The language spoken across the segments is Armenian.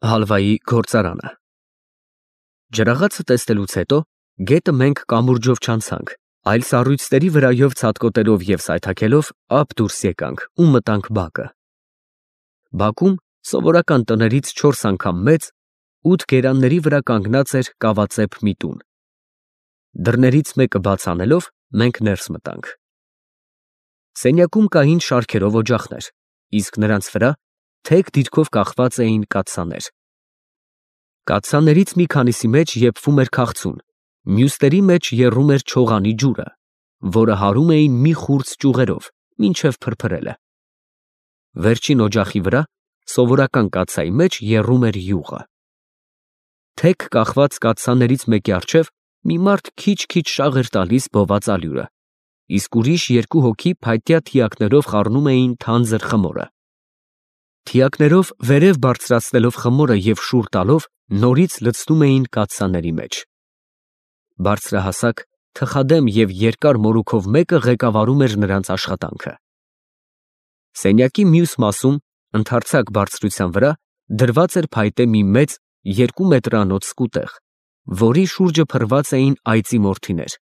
Հալվայի գործարանը։ Ջրաղացը տեսնելուց հետո գետը մենք կամուրջով չանցանք, այլ սառույցների վրայով ցատկոտելով և սայթաքելով ափ դուրս եկանք ու մտանք բակը։ Բակում սովորական տներից 4 անգամ մեծ 8 գերանների վրա կանգնած էր կավածեպ մի տուն։ Դռներից մեկը բաց անելով մենք ներս մտանք։ Սենյակում կային շարքերով օջախներ, իսկ նրանց վրա թեք դիրքով կախված էին կաթսաներ։ Կաթսաներից մի քանիսի մեջ եփվում էր քաղցուն, մյուսների մեջ եռում էր չողանի ջուրը, որը հարում էին մի խուրձ ճյուղերով, մինչև փրփրելը։ Վերջին օջախի վրա սովորական կաթսայի մեջ եռում էր յուղը։ Թեք կախված կաթսաներից մեկի առջև մի մարդ քիչ-քիչ շաղ էր տալիս բոված ալյուրը, իսկ ուրիշ 2 հոգի փայտյա թիակներով խառնում էին թանձր խմորը։ Թիակներով վերև բարձրացնելով խմորը և շուռ տալով նորից լցնում էին կաթսաների մեջ։ Բարձրահասակ, թխադեմ և երկար մորուքով մեկը ղեկավարում էր նրանց աշխատանքը։ Սենյակի մյուս մասում, ընդարձակ բարձրության վրա, դրված էր փայտե մի մեծ 2 մետրանոց սկուտեղ, որի շուրջը փռված էին այծի մորթիներ։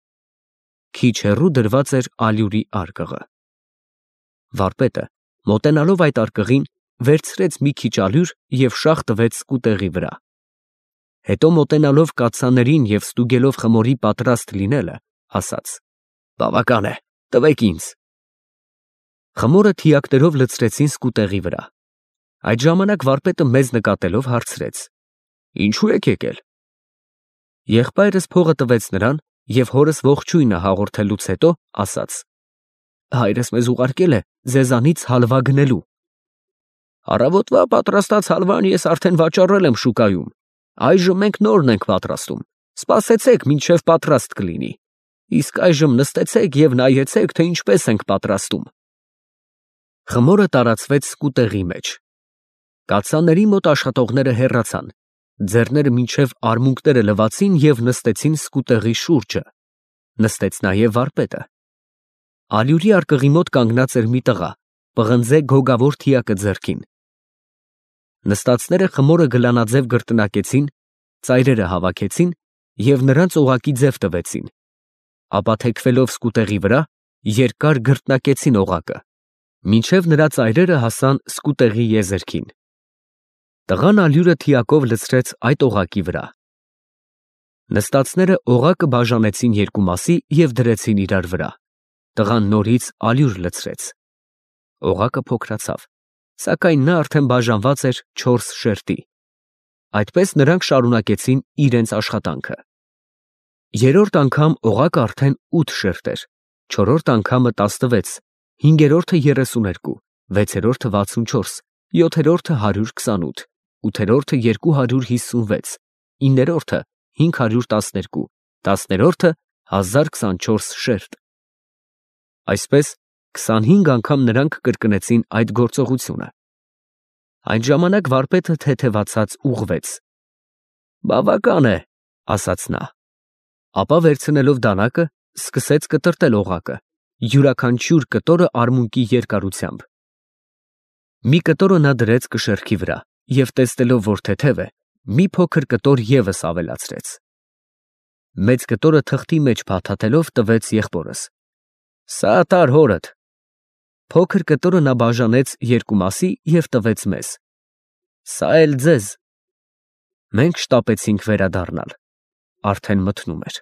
Քիչ հեռու դրված էր ալյուրի արկղը։ Վարպետը, մոտենալով այդ արկղին, վերցրեց մի քիչ ալյուր և շաղ տվեց սկուտեղի վրա։ Հետո մոտենալով կաթսաներին և ստուգելով խմորի պատրաստ լինելը, ասաց. «Բավական է, տվեք ինձ»։ Խմորը թիակներով լցրեցին սկուտեղի վրա։ Այդ ժամանակ վարպետը մեզ նկատելով հարցրեց. «Ինչու եք եկել»։ Եղբայրս փողը տվեց նրան և հորս ողջույնը հաղորդելուց հետո ասաց. «Հայրս մեզ ուղարկել է ձեզանից հալվա գնելու»։ «Առավոտվա պատրաստած հալվան ես արդեն վաճառել եմ շուկայում, այժմ մենք նորն ենք պատրաստում, սպասեցեք, մինչև պատրաստ կլինի, իսկ այժմ նստեցեք և նայեցեք, թե ինչպես ենք պատրաստում»։ Խմորը տարածվեց սկուտեղի մեջ։ Կաթսաների մոտ աշխատողները հեռացան, ձեռները մինչև արմունկները լվացին և նստեցին սկուտեղի շուրջը, նստեց նաև վարպետը։ Ալյուրի արկղի մոտ կանգնած էր մի տղա, պղնձե գոգավոր թիակը ձեռքին։ Նստածները խմորը գլանաձև կրկնակեցին, ծայրերը հավաքեցին և նրանց օղակի ձև տվեցին, ապա թեքվելով սկուտեղի վրա, երկար գրտնակեցին օղակը, մինչև նրա ծայրերը հասան սկուտեղի եզերքին։ Տղան ալյուրը թիակով լցրեց այդ օղակի վրա։ Նստածները օղակը բաժանեցին 2 մասի և դրեցին իրար վրա։ Տղան նորից ալյուր լցրեց։ Օղակը փոքրացավ, սակայն նա արդեն բաժանված էր 4 շերտի։ Այդպես նրանք շարունակեցին իրենց աշխատանքը։ Երրորդ անգամ օղակը արդեն 8 շերտ էր, չորրորդ անգամը 16, հինգերորդը 32, վեցերորդը 64, յոթերորդը 128, ութերորդը 256, իններորդը 512, տասներորդը 1024 շերտ։ Այսպես 25 անգամ նրանք կրկնեցին այդ գործողությունը։ Այդ ժամանակ վարպետը թեթևացած ուղղվեց։ «Բավական է», ասաց նա։ Ապա վերցնելով դանակը, սկսեց կտրտել օղակը, յուրաքանչյուր կտորը արմունկի երկարությամբ։ Մի կտորը նա դրեց կշեռքի վրա և տեսնելով, որ թեթև է, մի փոքր կտոր ևս ավելացրեց։ Մեծ կտորը թղթի մեջ փաթաթելով տվեց եղբորս։ «Սա տար հորդ»։ Փոքր կտորը նա բաժանեց 2 մասի և տվեց մեզ։ «Սա էլ ձեզ»։ Մենք շտապեցինք վերադառնալ։ Արդեն մթնում էր։